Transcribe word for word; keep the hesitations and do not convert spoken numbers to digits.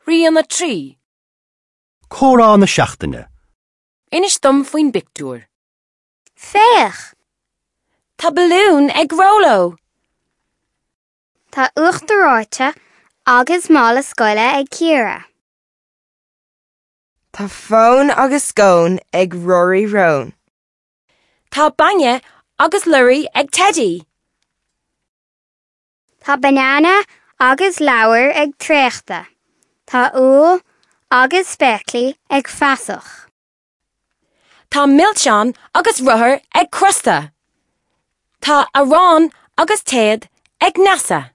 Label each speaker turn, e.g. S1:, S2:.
S1: Rian a trí.
S2: Comhrá na seachtaine.
S1: Inis dom faoin bpictiúr.
S3: Féach!
S1: Tá balún ag Róló.
S3: Tá uachtar reoite agus mála scoile ag Ciara.
S4: Tá fón agus scón ag Rory Rón.
S1: Tá bainne agus blurry ag Teddy.
S3: Tá banana agus leabhar ag Traochta. Tá úll agus spéaclaí ag Feasach.
S1: Tá milseáin agus rothar ag Crosta. Tá arán agus téad ag Neasa.